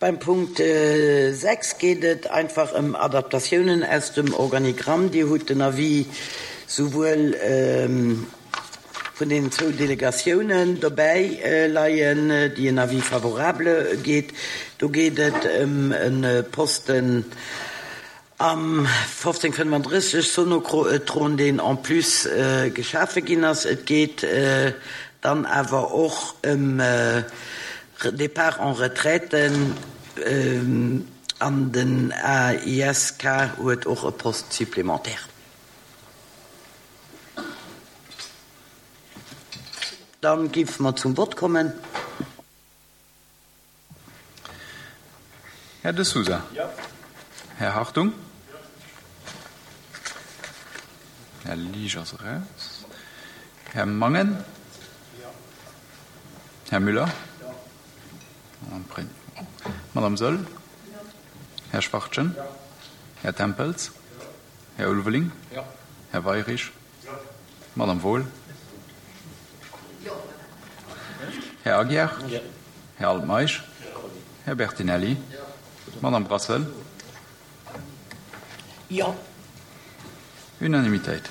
Beim Punkt 6 geet et einfach ëm Adaptatiounen aus dem Organigramm. Dir hutt den Avis souwuel vun deenen zwou Delegatiounen dobäi leien, déi en Avis favorable geet. Do geet et ëm e Posten am 1535 Sonocrotron, deen en plus geschafe ginn ass. Et geet dann awer och ëm Départ en retraite an den AISK huet och e Poste supplémentaire. Dann géife mer zum Vott kommen. Här De Sousa. Här Hartung. Här Liesch ass eraus. Här Mangen. Här Müller. Madame Saeul. Här Schwachtgen. Här Tempels. Här Ulveling. Här Weyrich. Madame Wohl. Här Aguiar. Här Altmeisch. Här Bertinelli. Madame Brassel. Jo. Unanimitéit.